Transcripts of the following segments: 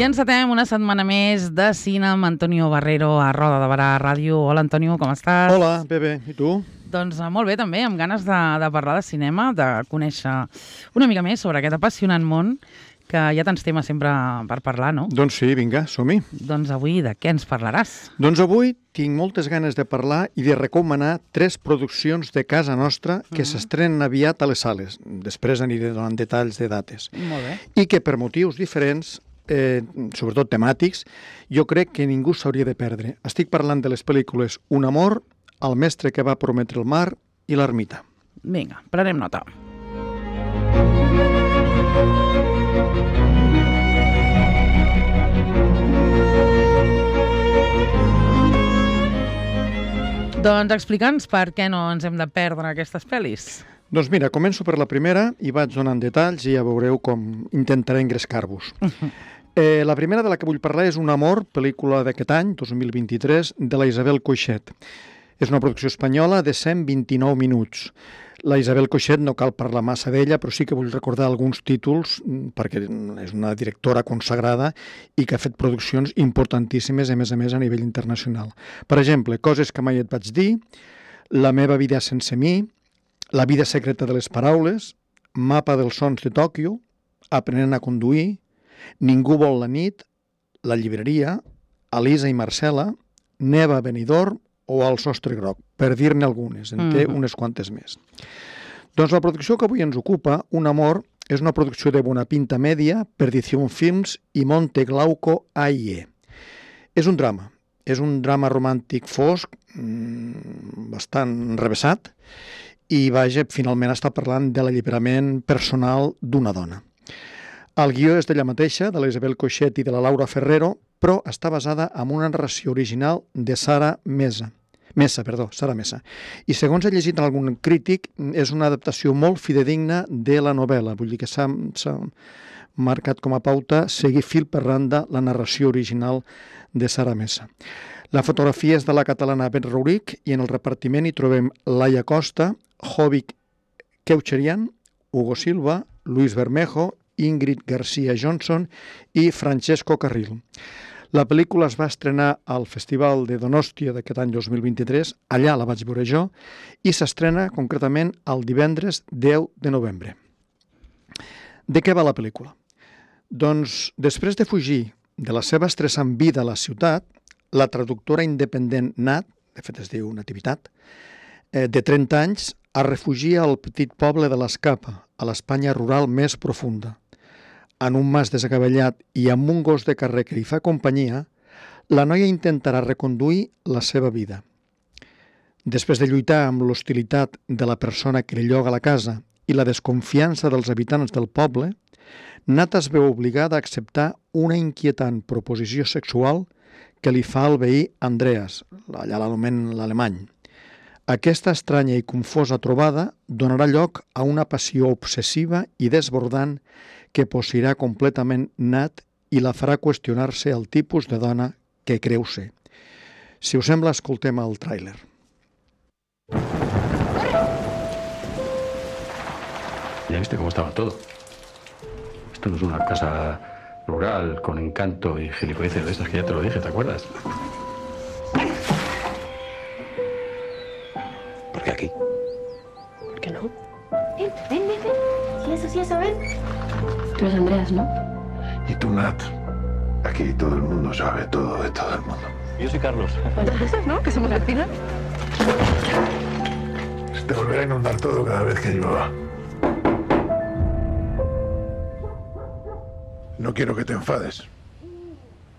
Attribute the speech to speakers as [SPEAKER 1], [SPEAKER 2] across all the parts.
[SPEAKER 1] I encetem una setmana més de cine amb Antonio Barrero a Roda de Barà Ràdio. Hola, Antonio, com estàs?
[SPEAKER 2] Hola, bé. I tu?
[SPEAKER 1] Doncs molt bé, també, amb ganes de parlar de cinema, de conèixer una mica més sobre aquest apassionant món, que hi ha tants temes sempre per parlar, no?
[SPEAKER 2] Doncs sí, vinga, som-hi.
[SPEAKER 1] Doncs avui de què ens parlaràs?
[SPEAKER 2] Doncs avui tinc moltes ganes de parlar i de recomanar 3 produccions de casa nostra que s'estrenen aviat a les sales. Després aniré donant detalls de dates.
[SPEAKER 1] Molt bé.
[SPEAKER 2] I que per motius diferents, sobretot temàtics, jo crec que ningú s'hauria de perdre. Estic parlant de les pel·lícules Un amor, El mestre que va prometre el mar i L'ermita.
[SPEAKER 1] Vinga, prenem nota. Doncs explica'ns per què no ens hem de perdre aquestes pel·lis.
[SPEAKER 2] Doncs mira, començo per la primera i vaig donant detalls i ja veureu com intentaré engrescar-vos. La primera de la que vull parlar és Un amor, pel·lícula d'aquest any, 2023, de la Isabel Coixet. És una producció espanyola de 129 minuts. La Isabel Coixet no cal parlar massa d'ella, però sí que vull recordar alguns títols, perquè és una directora consagrada i que ha fet produccions importantíssimes, a més a nivell internacional. Per exemple, Coses que mai et vaig dir, La meva vida sense mi, La vida secreta de les paraules, Mapa dels sons de Tòquio, Aprenent a conduir, Ningú vol la nit, La llibreria, Elisa i Marcela, Neva a Benidorm o El sostre groc, per dir-ne algunes, en té unes quantes més. Doncs la producció que avui ens ocupa, Un amor, és una producció de Bona Pinta Media, Perdición Films i Monte Glauco AIE. És un drama romàntic fosc, bastant revessat, i vaja, finalment està parlant de l'alliberament personal d'una dona. El guió és d'ella mateixa, de la Isabel Coixet i de la Laura Ferrero, però està basada en una narració original de Sara Mesa. I segons he llegit en algun crític, és una adaptació molt fidedigna de la novel·la. Vull dir que s'ha marcat com a pauta seguir fil per randa la narració original de Sara Mesa. La fotografia és de la catalana Bet Rouric i en el repartiment hi trobem Laia Costa, Jovic Keucherian, Hugo Silva, Luis Bermejo, Ingrid García Johnson i Francesco Carril. La pel·lícula es va estrenar al Festival de Donòstia d'aquest any 2023, allà la vaig veure jo, i s'estrena concretament el divendres 10 de novembre. De què va la pel·lícula? Doncs, després de fugir de la seva estressant vida a la ciutat, la traductora independent Nat, de fet es diu Nativitat, de 30 anys, es refugia al petit poble de l'Escapa, a l'Espanya rural més profunda. En un mas desacaballat i amb un gos de carrer que li fa companyia, la noia intentarà reconduir la seva vida. Després de lluitar amb l'hostilitat de la persona que li lloga la casa i la desconfiança dels habitants del poble, Nat es veu obligada a acceptar una inquietant proposició sexual que li fa el veí Andreas, allà l'anomenen l'alemany. Aquesta estranya i confosa trobada donarà lloc a una passió obsessiva i desbordant que posseirà completament Nat i la farà qüestionar-se el tipus de dona que creu ser. Si us sembla, escoltem el tràiler.
[SPEAKER 3] Ya viste cómo estaba todo. Esto no es una casa rural con encanto y gilipolleces de estas que ya te lo dije, ¿te acuerdas? ¿Por qué aquí?
[SPEAKER 4] ¿Por qué no? Ven. Sí, eso, ven. Tú eres Andreas, ¿no?
[SPEAKER 5] Y tú, Nat. Aquí todo el mundo sabe todo de todo el mundo.
[SPEAKER 3] Yo soy Carlos.
[SPEAKER 4] Pues ¿no? Que somos vecinos.
[SPEAKER 5] Se te volverá a inundar todo cada vez que llueva. No quiero que te enfades.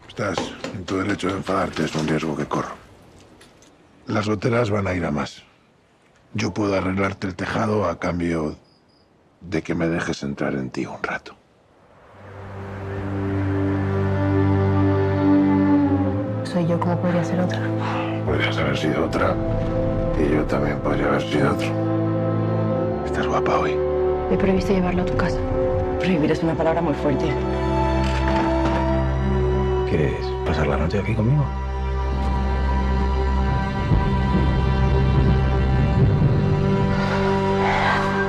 [SPEAKER 5] Estás en tu derecho de enfadarte, es un riesgo que corro. Las goteras van a ir a más. Yo puedo arreglarte el tejado a cambio de que me dejes entrar en ti un rato.
[SPEAKER 4] Soy yo, ¿cómo podría ser otra?
[SPEAKER 5] Podrías haber sido otra y yo también podría haber sido otro. Estás guapa hoy.
[SPEAKER 4] He previsto llevarlo a tu casa. Prohibir es una palabra muy fuerte.
[SPEAKER 3] ¿Quieres pasar la noche aquí conmigo?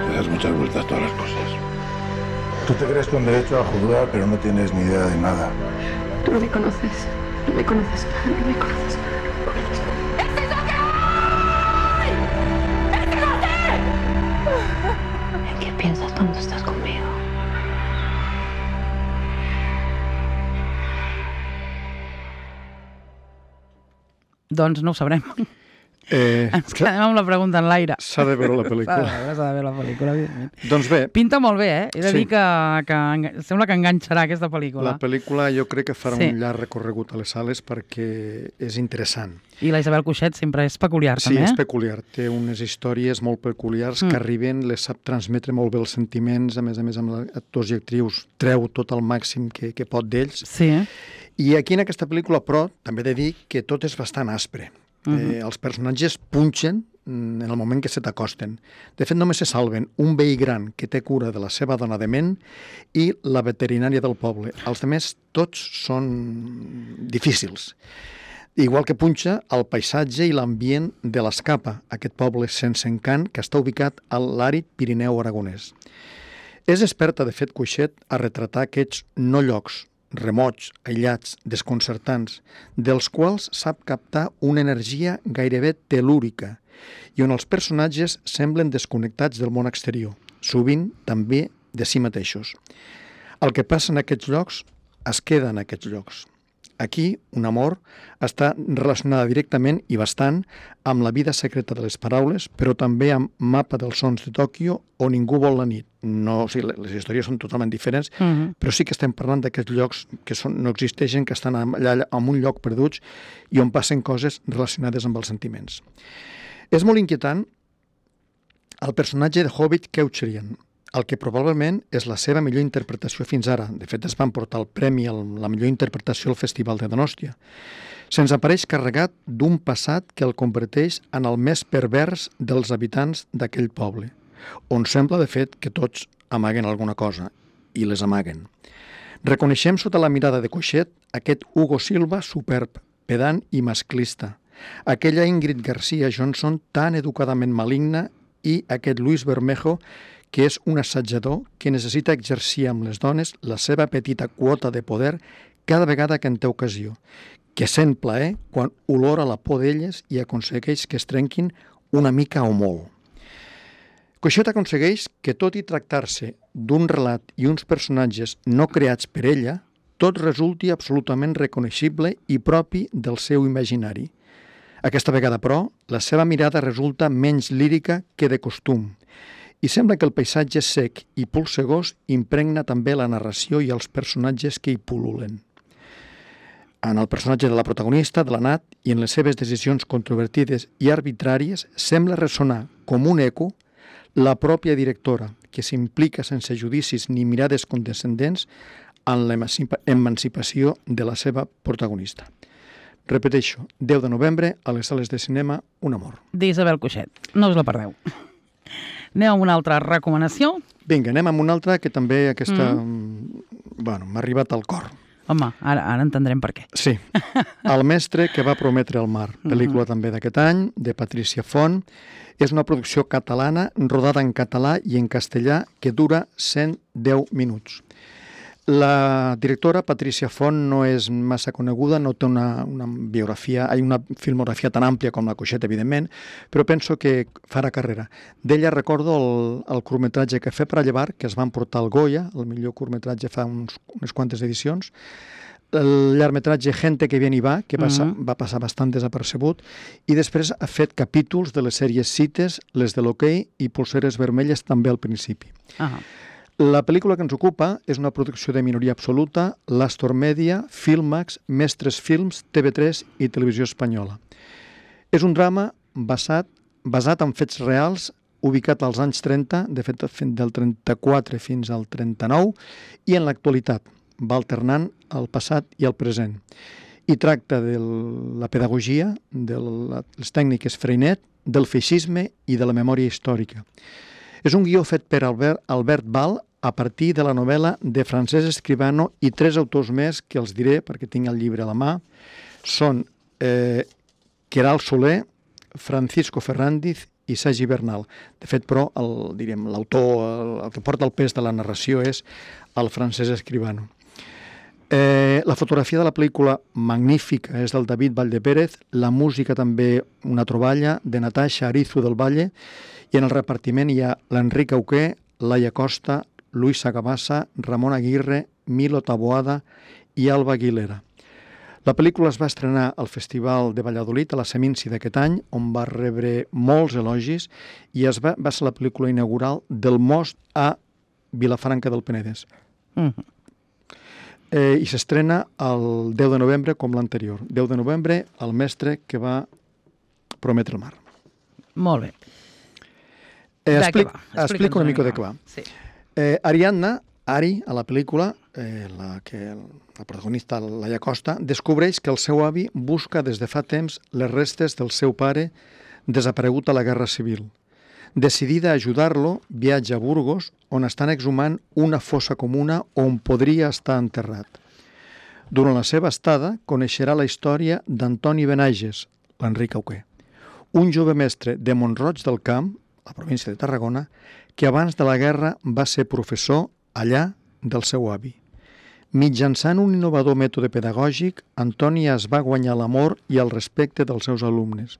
[SPEAKER 5] Le das muchas vueltas a todas las cosas. Tú te crees con derecho a juzgar, pero no tienes ni idea de nada.
[SPEAKER 4] Tú no me conoces. No me conoces nada, no me conoces nada. ¡Este es lo que hay! ¡Este es lo que! ¿En qué piensas cuando estás conmigo?
[SPEAKER 1] Doncs no ho sabrem. Ens quedem amb la pregunta en l'aire.
[SPEAKER 2] S'ha de veure la pel·lícula.
[SPEAKER 1] S'ha de veure la pel·lícula, evidentment.
[SPEAKER 2] Doncs bé,
[SPEAKER 1] Pinta molt bé, eh? He de
[SPEAKER 2] Sí.
[SPEAKER 1] dir que sembla que enganxarà aquesta pel·lícula.
[SPEAKER 2] la pel·lícula jo crec que farà
[SPEAKER 1] Sí.
[SPEAKER 2] un llarg recorregut a les sales perquè és interessant.
[SPEAKER 1] I la Isabel Coixet sempre és peculiar,
[SPEAKER 2] Sí,
[SPEAKER 1] també.
[SPEAKER 2] és peculiar. Té unes històries molt peculiars que arriben, les sap transmetre molt bé els sentiments, a més amb actors i actrius treu tot el màxim que pot d'ells.
[SPEAKER 1] Sí.
[SPEAKER 2] I aquí en aquesta pel·lícula, però, també he de dir que tot és bastant aspre. Els personatges punxen en el moment que se t'acosten. De fet, només se salven un veí gran que té cura de la seva dona dement i la veterinària del poble. Els altres tots són difícils. Igual que punxa el paisatge i l'ambient de l'Escapa, aquest poble sense encant que està ubicat a l'àrid Pirineu aragonès. És experta, de fet, Coixet, a retratar aquests no llocs, remots, aïllats, desconcertants, dels quals sap captar una energia gairebé telúrica i on els personatges semblen desconnectats del món exterior, sovint també de si mateixos. El que passa en aquests llocs es queda en aquests llocs. Aquí, un amor està relacionada directament i bastant amb la vida secreta de les paraules, però també amb Mapa dels sons de Tòquio o Ningú vol la nit. No, o sigui, les històries són totalment diferents, però sí que estem parlant d'aquests llocs que no existeixen, que estan allà en un lloc perduts i on passen coses relacionades amb els sentiments. És molt inquietant el personatge de Hobbit Keucherian, el que probablement és la seva millor interpretació fins ara. De fet, es van portar el premi a la millor interpretació al Festival de Donòstia. Se'ns apareix carregat d'un passat que el converteix en el més pervers dels habitants d'aquell poble, on sembla, de fet, que tots amaguen alguna cosa, i les amaguen. Reconeixem sota la mirada de Coixet aquest Hugo Silva superb, pedant i masclista, aquella Ingrid García Johnson tan educadament maligna i aquest Luis Bermejo que és un assajador que necessita exercir amb les dones la seva petita quota de poder cada vegada que en té ocasió, que sent plaer quan olora la por d'elles i aconsegueix que es trenquin una mica o molt. Coixet aconsegueix que, tot i tractar-se d'un relat i uns personatges no creats per ella, tot resulti absolutament reconeixible i propi del seu imaginari. Aquesta vegada, però, la seva mirada resulta menys lírica que de costum, i sembla que el paisatge sec i polsegós impregna també la narració i els personatges que hi pul·lulen. En el personatge de la protagonista, de la Nat, i en les seves decisions controvertides i arbitràries, sembla ressonar com un eco la pròpia directora, que s'implica sense judicis ni mirades condescendents en l'emancipació de la seva protagonista. Repeteixo, 10 de novembre, a les sales de cinema, Un amor.
[SPEAKER 1] D'Isabel Coixet. No us la perdeu. Anem amb una altra recomanació.
[SPEAKER 2] Vinga, anem amb una altra que també aquesta... Bueno, m'ha arribat al cor.
[SPEAKER 1] Home, ara entendrem per què.
[SPEAKER 2] Sí. El mestre que va prometre el mar, pel·lícula també d'aquest any, de Patricia Font. És una producció catalana, rodada en català i en castellà, que dura 110 minuts. La directora, Patricia Font, no és massa coneguda, no té una biografia, una filmografia tan àmplia com la Coixet, evidentment, però penso que farà carrera. D'ella recordo el curtmetratge que Fer para llevar, que es van portar al Goya, el millor curtmetratge fa unes quantes edicions, el llargmetratge Gente que viene y va, que va passar bastant desapercebut, i després ha fet capítols de les sèries Cites, les de l'Hoquei i Polseres vermelles també al principi. La pel·lícula que ens ocupa és una producció de minoria absoluta, l'Astor Media, Filmax, Mestres Films, TV3 i Televisió Espanyola. És un drama basat en fets reals, ubicat als anys 30, de fet del 34 fins al 39, i en l'actualitat, va alternant el passat i el present. I tracta de la pedagogia, de les tècniques Freinet, del feixisme i de la memòria històrica. És un guió fet per Albert Val a partir de la novel·la de Francesc Escribano i 3 autors més que els diré perquè tinc el llibre a la mà. Són Queralt Soler, Francisco Ferrandiz i Sergi Bernal. De fet, però, l'autor, el que porta el pes de la narració és el Francesc Escribano. La fotografia de la pel·lícula magnífica és del David Valldepérez, la música també una troballa de Natasha Arizu del Valle, i en el repartiment hi ha l'Enric Auqué, Laia Costa, Luis Sagabassa, Ramon Aguirre, Milo Taboada i Alba Aguilera. La pel·lícula es va estrenar al Festival de Valladolid a la Seminci d'aquest any, on va rebre molts elogis, i va ser la pel·lícula inaugural del Most a Vilafranca del Penedès. I s'estrena el 10 de novembre com l'anterior. 10 de novembre, el mestre que va prometre el mar.
[SPEAKER 1] Molt bé.
[SPEAKER 2] Explico una mica de què va.
[SPEAKER 1] Sí.
[SPEAKER 2] Ariadna, Ari, a la pel·lícula, la protagonista, Laia Costa, descobreix que el seu avi busca des de fa temps les restes del seu pare desaparegut a la Guerra Civil. Decidida a ajudar-lo, viatja a Burgos, on estan exhumant una fossa comuna on podria estar enterrat. Durant la seva estada, coneixerà la història d'Antoni Benages, l'Enric Auqué, un jove mestre de Mont-roig del Camp, la província de Tarragona, que abans de la guerra va ser professor allà del seu avi. Mitjançant un innovador mètode pedagògic, Antoni es va guanyar l'amor i el respecte dels seus alumnes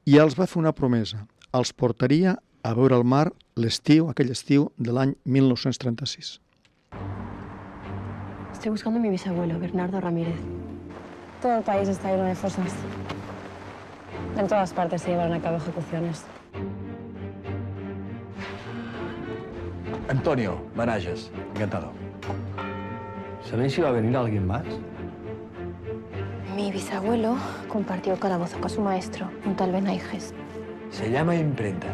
[SPEAKER 2] i els va fer una promesa. Els portaria a veure el mar aquell estiu de l'any 1936.
[SPEAKER 4] Estoy buscando a mi bisabuelo, Bernardo Ramírez. Todo el país está lleno de fosas. En todas partes se llevaron a cabo ejecuciones.
[SPEAKER 6] Antonio Benages, encantado. ¿Sabéis si va a venir alguien más?
[SPEAKER 4] Mi bisabuelo compartió calabozo con su maestro, un tal Benaiges.
[SPEAKER 6] Se llama imprenta.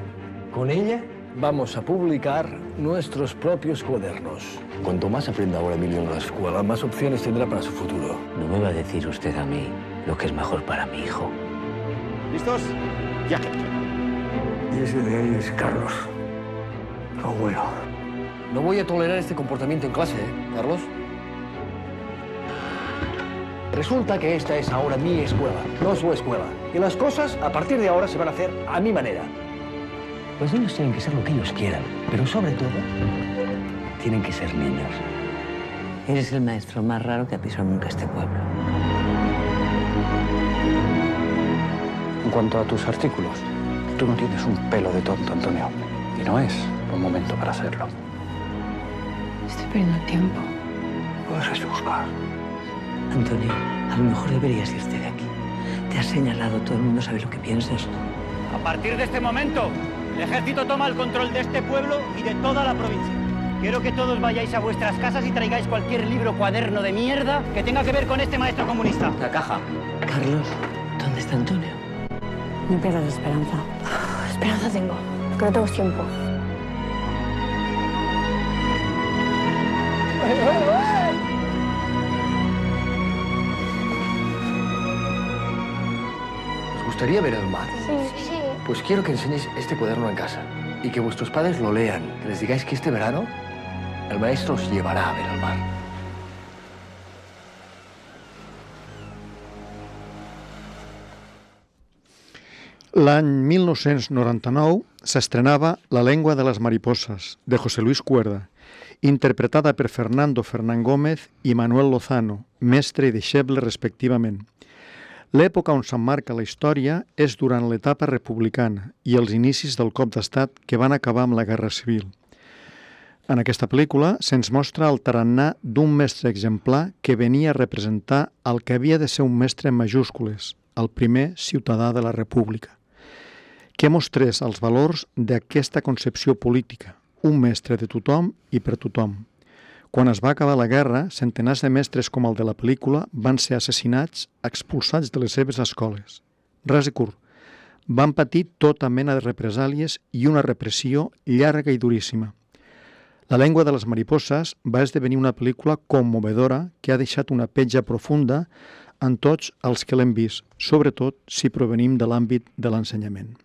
[SPEAKER 6] Con ella vamos a publicar nuestros propios cuadernos. Cuanto más aprenda ahora Emilio en la escuela, más opciones tendrá para su futuro.
[SPEAKER 7] No me va a decir usted a mí lo que es mejor para mi hijo.
[SPEAKER 6] ¿Listos? Ya. Y ese de ahí es Carlos, tu abuelo. No voy a tolerar este comportamiento en clase, ¿eh, Carlos? Resulta que esta es ahora mi escuela, no su escuela. Y las cosas, a partir de ahora, se van a hacer a mi manera.
[SPEAKER 7] Los niños tienen que ser lo que ellos quieran, pero sobre todo, tienen que ser niños. Eres el maestro más raro que ha pisado nunca este pueblo.
[SPEAKER 3] En cuanto a tus artículos, tú no tienes un pelo de tonto, Antonio. Y no es un momento para hacerlo.
[SPEAKER 4] Estoy perdiendo tiempo.
[SPEAKER 3] Puedes buscar.
[SPEAKER 7] Antonio, a lo mejor deberías irte de aquí. Te has señalado, todo el mundo sabe lo que piensas.
[SPEAKER 8] A partir de este momento, el ejército toma el control de este pueblo y de toda la provincia. Quiero que todos vayáis a vuestras casas y traigáis cualquier libro, cuaderno de mierda que tenga que ver con este maestro comunista.
[SPEAKER 7] La caja. Carlos, ¿dónde está Antonio?
[SPEAKER 4] No pierdas la esperanza. Esperanza tengo, que no tengo tiempo.
[SPEAKER 6] ¿Os gustaría ver el mar?
[SPEAKER 4] Sí.
[SPEAKER 6] Pues quiero que enseñéis este cuaderno en casa y que vuestros padres lo lean. Que les digáis que este verano el maestro os llevará a ver el mar.
[SPEAKER 2] L'any 1999 s'estrenava La lengua de les mariposas, de José Luis Cuerda, interpretada per Fernando Fernán Gómez i Manuel Lozano, mestre i deixeble respectivament. L'època on s'emmarca la història és durant l'etapa republicana i els inicis del cop d'estat que van acabar amb la Guerra Civil. En aquesta pel·lícula se'ns mostra el tarannà d'un mestre exemplar que venia a representar el que havia de ser un mestre en majúscules, el primer ciutadà de la República, que mostrés els valors d'aquesta concepció política, un mestre de tothom i per tothom. Quan es va acabar la guerra, centenars de mestres com el de la pel·lícula van ser assassinats, expulsats de les seves escoles. Ras i curt, van patir tota mena de represàlies i una repressió llarga i duríssima. La lengua de les mariposas va esdevenir una pel·lícula commovedora que ha deixat una petja profunda en tots els que l'hem vist, sobretot si provenim de l'àmbit de l'ensenyament.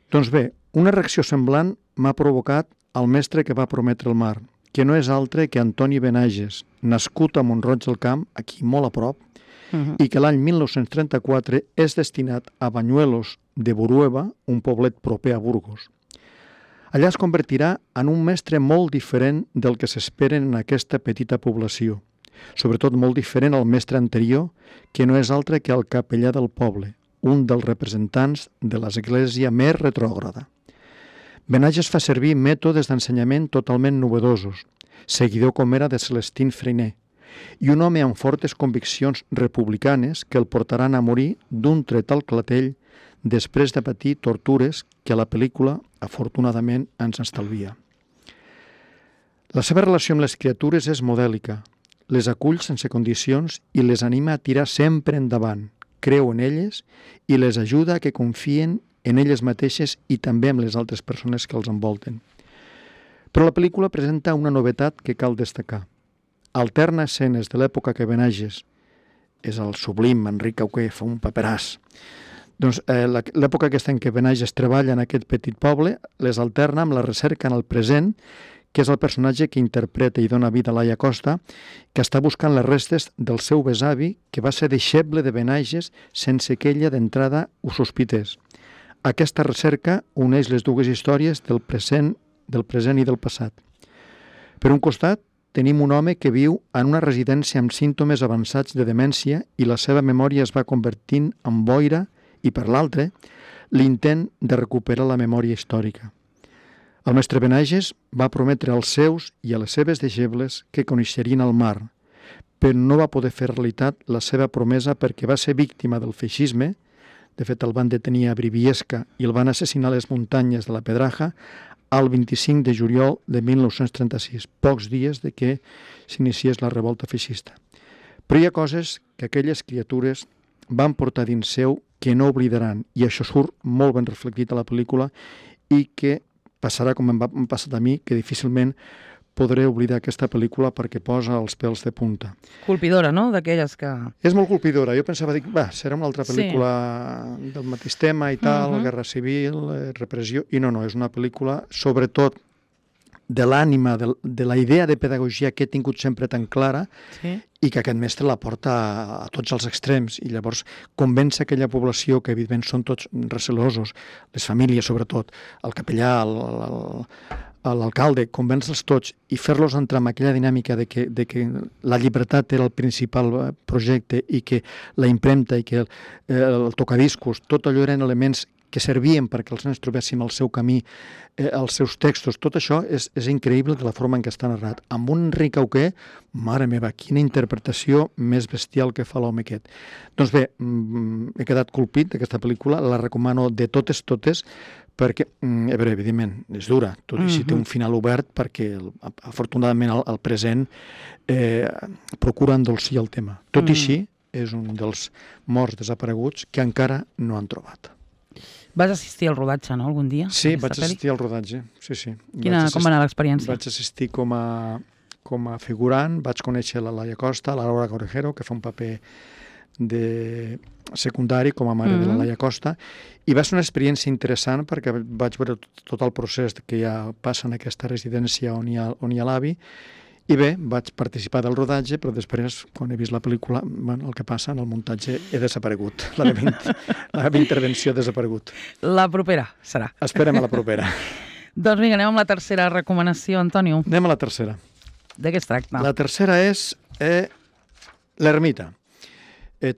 [SPEAKER 2] Doncs bé, una reacció semblant m'ha provocat el mestre que va prometre el mar, que no és altre que Antoni Benages, nascut a Mont-roig del Camp, aquí molt a prop, i que l'any 1934 és destinat a Bañuelos de Borueva, un poblet proper a Burgos. Allà es convertirà en un mestre molt diferent del que s'esperen en aquesta petita població, sobretot molt diferent al mestre anterior, que no és altre que el capellà del poble, un dels representants de l'església més retrògrada. Benages fa servir mètodes d'ensenyament totalment novedosos, seguidor com era de Celestín Freinet, i un home amb fortes conviccions republicanes que el portaran a morir d'un tret al clatell després de patir tortures que la pel·lícula, afortunadament, ens estalvia. La seva relació amb les criatures és modèlica, les acull sense condicions i les anima a tirar sempre endavant, creu en elles i les ajuda a que confien en elles mateixes i també en les altres persones que els envolten. Però la pel·lícula presenta una novetat que cal destacar. Alterna escenes de l'època que Benages, és el sublim Enric Auqué, fa un paperàs. Doncs l'època aquesta en què Benages treballa en aquest petit poble les alterna amb la recerca en el present, que és el personatge que interpreta i dona vida a Laia Costa, que està buscant les restes del seu besavi, que va ser deixeble de Benages sense que ella d'entrada ho sospités. Aquesta recerca uneix les dues històries del present i del passat. Per un costat, tenim un home que viu en una residència amb símptomes avançats de demència i la seva memòria es va convertint en boira i, per l'altre, l'intent de recuperar la memòria històrica. El mestre Benages va prometre als seus i a les seves deixebles que coneixerien el mar, però no va poder fer realitat la seva promesa perquè va ser víctima del feixisme. De fet, el van detenir a Briviesca i el van assassinar a les muntanyes de la Pedraja el 25 de juliol de 1936, pocs dies de que s'iniciés la revolta feixista. Però hi ha coses que aquelles criatures van portar dins seu que no oblidaran, i això surt molt ben reflectit a la pel·lícula i que passarà com em va passar a mi, que difícilment podré oblidar aquesta pel·lícula perquè posa els pèls de punta.
[SPEAKER 1] Colpidora, no?, d'aquelles que...
[SPEAKER 2] És molt colpidora. Jo pensava, serà una altra pel·lícula del mateix tema i tal, guerra civil, repressió, i no, és una pel·lícula sobretot de l'ànima, de la idea de pedagogia que he tingut sempre tan clara i que aquest mestre la porta a tots els extrems i llavors convèncer aquella població que evidentment són tots recelosos, les famílies sobretot, el capellà, l'alcalde, convèncer-los tots i fer-los entrar en aquella dinàmica de que la llibertat era el principal projecte i que la impremta i que el tocadiscos, tot allò eren elements que servien perquè els nens trobéssim el seu camí, els seus textos, tot això és increïble de la forma en què està narrat. Amb un Enric Auqué, mare meva, quina interpretació més bestial que fa l'home aquest. Doncs bé, he quedat colpit d'aquesta pel·lícula, la recomano de totes, perquè, evidentment, és dura, tot i si té un final obert, perquè afortunadament el present procura endolcir el tema. Tot i així, és un dels morts desapareguts que encara no han trobat.
[SPEAKER 1] Vas assistir al rodatge, no?, algun dia?
[SPEAKER 2] Sí, vaig assistir al rodatge, sí.
[SPEAKER 1] Com va anar l'experiència?
[SPEAKER 2] Vaig assistir com a figurant, vaig conèixer la Laia Costa, la Laura Corejero, que fa un paper de secundari com a mare de la Laia Costa, i va ser una experiència interessant perquè vaig veure tot el procés que ja passa en aquesta residència on hi ha l'avi. I bé, vaig participar del rodatge, però després, quan he vist la pel·lícula, el que passa en el muntatge he desaparegut. La meva intervenció ha desaparegut.
[SPEAKER 1] La propera serà.
[SPEAKER 2] Esperem a la propera.
[SPEAKER 1] Doncs vinga, anem amb la tercera recomanació, Antonio.
[SPEAKER 2] Anem a la tercera.
[SPEAKER 1] De què es tracta?
[SPEAKER 2] La tercera és L'Ermita.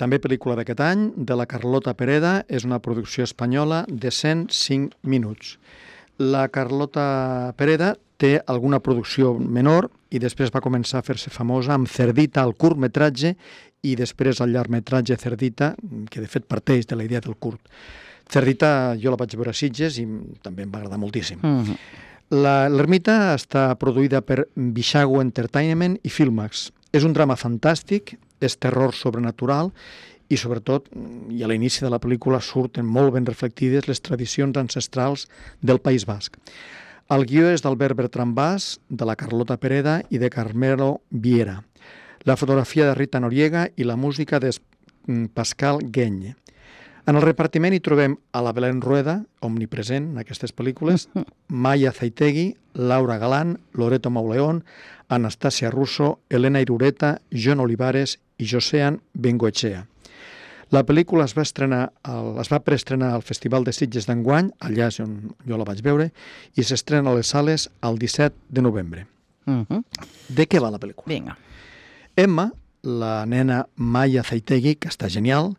[SPEAKER 2] També pel·lícula d'aquest any, de la Carlota Pereda, és una producció espanyola de 105 minuts. La Carlota Pereda té alguna producció menor i després va començar a fer-se famosa amb Cerdita, el curtmetratge, i després el llargmetratge Cerdita, que de fet parteix de la idea del curt. Cerdita jo la vaig veure a Sitges i també em va agradar moltíssim. L'Ermita està produïda per Bixago Entertainment i Filmax. És un drama fantàstic, és terror sobrenatural i sobretot, i a l'inici de la pel·lícula surten molt ben reflectides les tradicions ancestrals del País Basc. El guió és d'Albert Bertran Bas, de la Carlota Pereda i de Carmelo Viera. La fotografia de Rita Noriega i la música de Pascal Gueny. En el repartiment hi trobem a la Belén Rueda, omnipresent en aquestes pel·lícules, Maya Zaitegui, Laura Galán, Loreto Mauleón, Anastasia Russo, Elena Irureta, John Olivares i Josean Bengoechea. La pel·lícula es va preestrenar al Festival de Sitges d'enguany, allà és on jo la vaig veure, i s'estrena a les sales el 17 de novembre. De què va la pel·lícula?
[SPEAKER 1] Vinga.
[SPEAKER 2] Emma, la nena Maya Zaitegi, que està genial,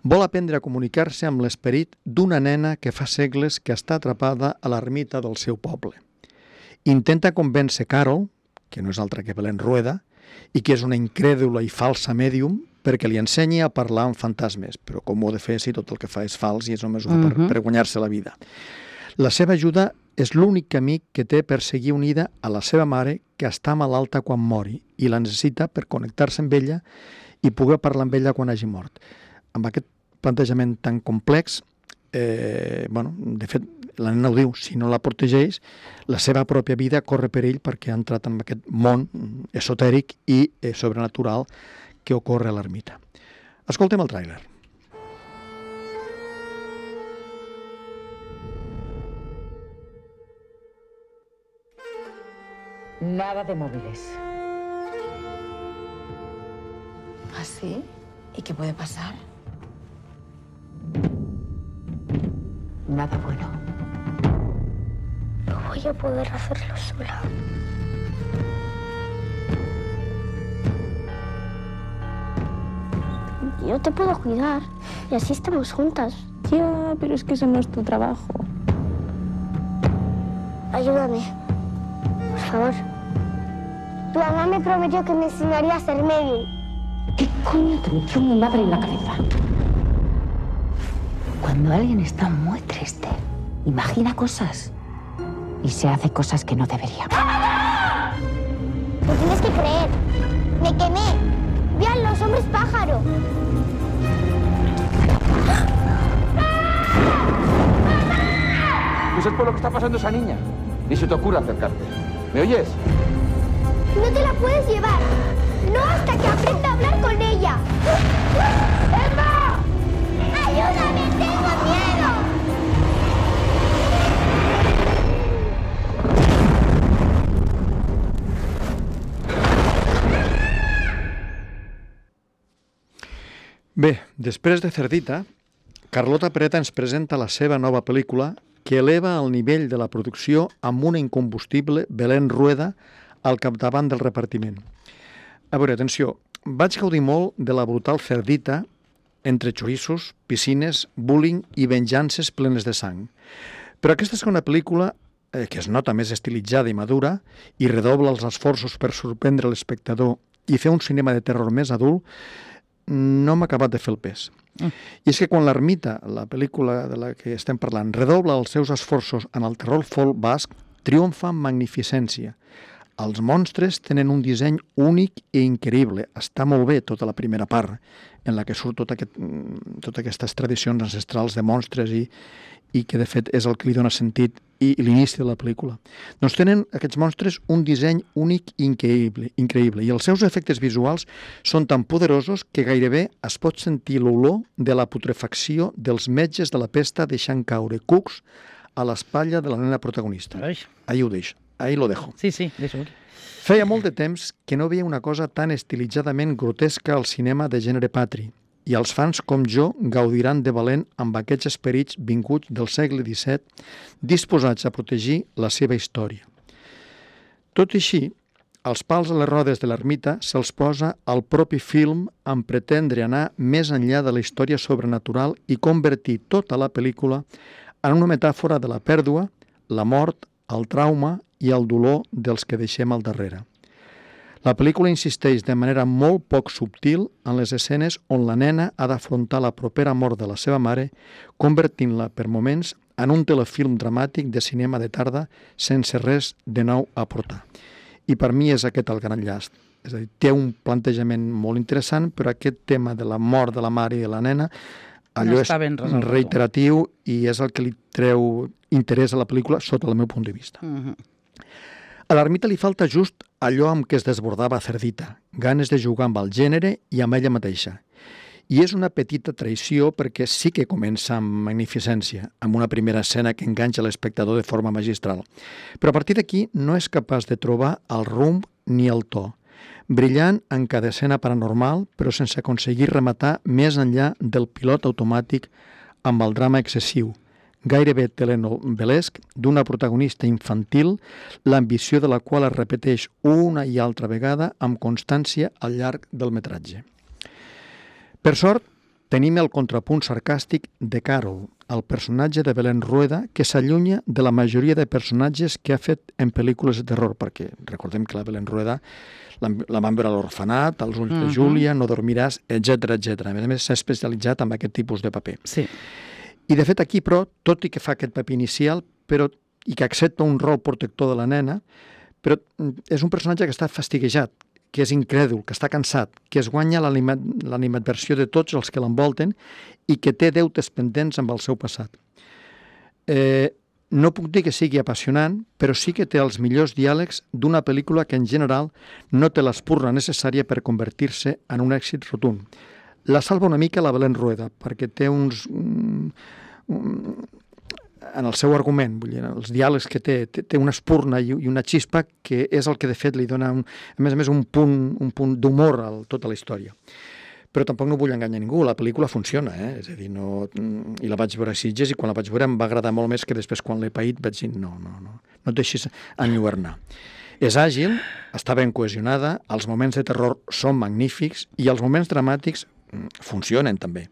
[SPEAKER 2] vol aprendre a comunicar-se amb l'esperit d'una nena que fa segles que està atrapada a l'ermita del seu poble. Intenta convèncer Carol, que no és altra que Belén Rueda, i que és una incrèdula i falsa mèdium, perquè li ensenyi a parlar amb fantasmes. Però com ho ha de fer si tot el que fa és fals i és només per guanyar-se la vida? La seva ajuda és l'únic camí que té per seguir unida a la seva mare, que està malalta quan mori, i la necessita per connectar-se amb ella i poder parlar amb ella quan hagi mort. Amb aquest plantejament tan complex, de fet, la nena ho diu, si no la protegeix, la seva pròpia vida corre per ell perquè ha entrat en aquest món esotèric i sobrenatural que ocorre a l'ermita. Escoltem el tràiler.
[SPEAKER 9] Nada de móviles.
[SPEAKER 4] ¿Ah, sí? ¿Y qué puede pasar?
[SPEAKER 9] Nada bueno.
[SPEAKER 4] No voy a poder hacerlo sola. Yo te puedo cuidar y así estamos juntas.
[SPEAKER 9] Ya, pero es que eso no es tu trabajo.
[SPEAKER 4] Ayúdame, por favor. Tu mamá me prometió que me enseñaría a ser médium.
[SPEAKER 9] ¿Qué coño te metió mi madre en la cabeza? Cuando alguien está muy triste, imagina cosas y se hace cosas que no debería.
[SPEAKER 4] Me tienes que creer. Me quemé. Vean los hombres pájaro.
[SPEAKER 10] No sé por lo que está pasando esa niña. Ni se te ocurra acercarte. ¿Me oyes?
[SPEAKER 4] No te la puedes llevar. No hasta que aprenda a hablar con ella. ¡Emma! ¡Ayúdame! ¡Tengo miedo!
[SPEAKER 2] Bé, després de Cerdita, Carlota Pereta ens presenta la seva nova pel·lícula que eleva el nivell de la producció amb una incombustible Belén Rueda al capdavant del repartiment. A veure, atenció, vaig gaudir molt de la brutal Cerdita entre xorissos, piscines, bullying i venjances plenes de sang. Però aquesta segona pel·lícula, que es nota més estilitzada i madura i redobla els esforços per sorprendre l'espectador i fer un cinema de terror més adult, no m'ha acabat de fer el pes. I és que quan l'Ermita, la pel·lícula de la que estem parlant, redobla els seus esforços en el terror folk basc, triomfa amb magnificència. Els monstres tenen un disseny únic i increïble. Està molt bé tota la primera part, en la que surt totes aquestes tradicions ancestrals de monstres i que, de fet, és el que li dona sentit i l'inici de la pel·lícula. Doncs tenen aquests monstres un disseny únic i increïble, i els seus efectes visuals són tan poderosos que gairebé es pot sentir l'olor de la putrefacció dels metges de la pesta deixant caure cucs a l'espatlla de la nena protagonista. Ahí ho deixo. Ahí lo dejo.
[SPEAKER 1] Sí, deixo.
[SPEAKER 2] Feia molt de temps que no veia una cosa tan estilitzadament grotesca al cinema de gènere patri, i els fans com jo gaudiran de valent amb aquests esperits vinguts del segle XVII disposats a protegir la seva història. Tot i així, els pals a les rodes de l'ermita se'ls posa al propi film en pretendre anar més enllà de la història sobrenatural i convertir tota la pel·lícula en una metàfora de la pèrdua, la mort, el trauma i el dolor dels que deixem al darrere. La pel·lícula insisteix de manera molt poc subtil en les escenes on la nena ha d'afrontar la propera mort de la seva mare, convertint-la per moments en un telefilm dramàtic de cinema de tarda sense res de nou a aportar. I per mi és aquest el gran llast. És a dir, té un plantejament molt interessant, però aquest tema de la mort de la mare i de la nena, allò és reiteratiu i és el que li treu interès a la pel·lícula sota el meu punt de vista. A l'ermita li falta just allò amb què es desbordava Cerdita, ganes de jugar amb el gènere i amb ella mateixa. I és una petita traïció perquè sí que comença amb magnificència, amb una primera escena que enganxa l'espectador de forma magistral. Però a partir d'aquí no és capaç de trobar el rumb ni el to. brillant en cada escena paranormal, però sense aconseguir rematar més enllà del pilot automàtic amb el drama excessiu, gairebé telenovelesc, d'una protagonista infantil, l'ambició de la qual es repeteix una i altra vegada amb constància al llarg del metratge. Per sort, tenim el contrapunt sarcàstic de Carol, el personatge de Belén Rueda, que s'allunya de la majoria de personatges que ha fet en pel·lícules de terror, perquè recordem que la Belén Rueda la vam veure a l'Orfenat, als Ulls de Júlia, No dormiràs, etc. A més, s'ha especialitzat en aquest tipus de paper.
[SPEAKER 1] Sí.
[SPEAKER 2] I, de fet, aquí, però, tot i que fa aquest paper inicial i que accepta un rol protector de la nena, però és un personatge que està fastiguejat, que és incrèdul, que està cansat, que es guanya l'animadversió de tots els que l'envolten i que té deutes pendents amb el seu passat. No puc dir que sigui apassionant, però sí que té els millors diàlegs d'una pel·lícula que en general no té l'espurna necessària per convertir-se en un èxit rotund. La salva una mica la Belén Rueda, perquè té en el seu argument, vull dir, els diàlegs que té una espurna i una xispa que és el que de fet li dona, a més, un punt d'humor a tota la història. Però tampoc no vull enganyar ningú, la pel·lícula funciona, és a dir, i la vaig veure a Sitges i quan la vaig veure em va agradar molt més que després quan l'he paït vaig dir no et deixis enlluernar. És àgil, està ben cohesionada, els moments de terror són magnífics i els moments dramàtics funcionen també.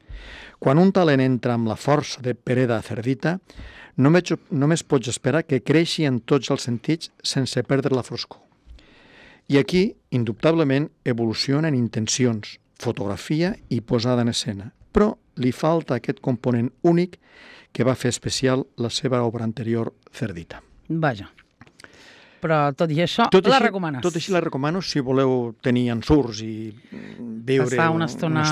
[SPEAKER 2] Quan un talent entra amb la força de Pereda Cerdita, només pots esperar que creixi en tots els sentits sense perdre la foscor. I aquí, indubtablement, evoluciona en intencions, fotografia i posada en escena, però li falta aquest component únic que va fer especial la seva obra anterior, Cerdita.
[SPEAKER 1] Vaja. Però tot i això, la recomanes?
[SPEAKER 2] Tot així la recomano si voleu tenir ensurts i viure
[SPEAKER 1] una estona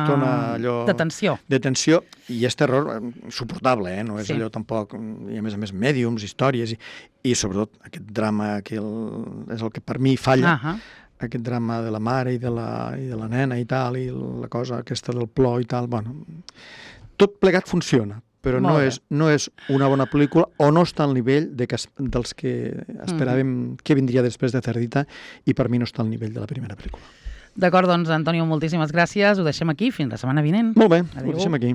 [SPEAKER 2] allò
[SPEAKER 1] de tensió.
[SPEAKER 2] I és terror suportable, no és allò tampoc, i a més mèdiums, històries, i sobretot aquest drama que és el que per mi falla, aquest drama de la mare i de la nena i tal, i la cosa aquesta del plor i tal, bueno, tot plegat funciona, però no és una bona pel·lícula o no està al nivell dels que esperàvem que vindria després de Cerdita i per mi no està al nivell de la primera pel·lícula.
[SPEAKER 1] D'acord, doncs, Antonio, moltíssimes gràcies. Ho deixem aquí. Fins la setmana vinent.
[SPEAKER 2] Molt bé, ho deixem aquí.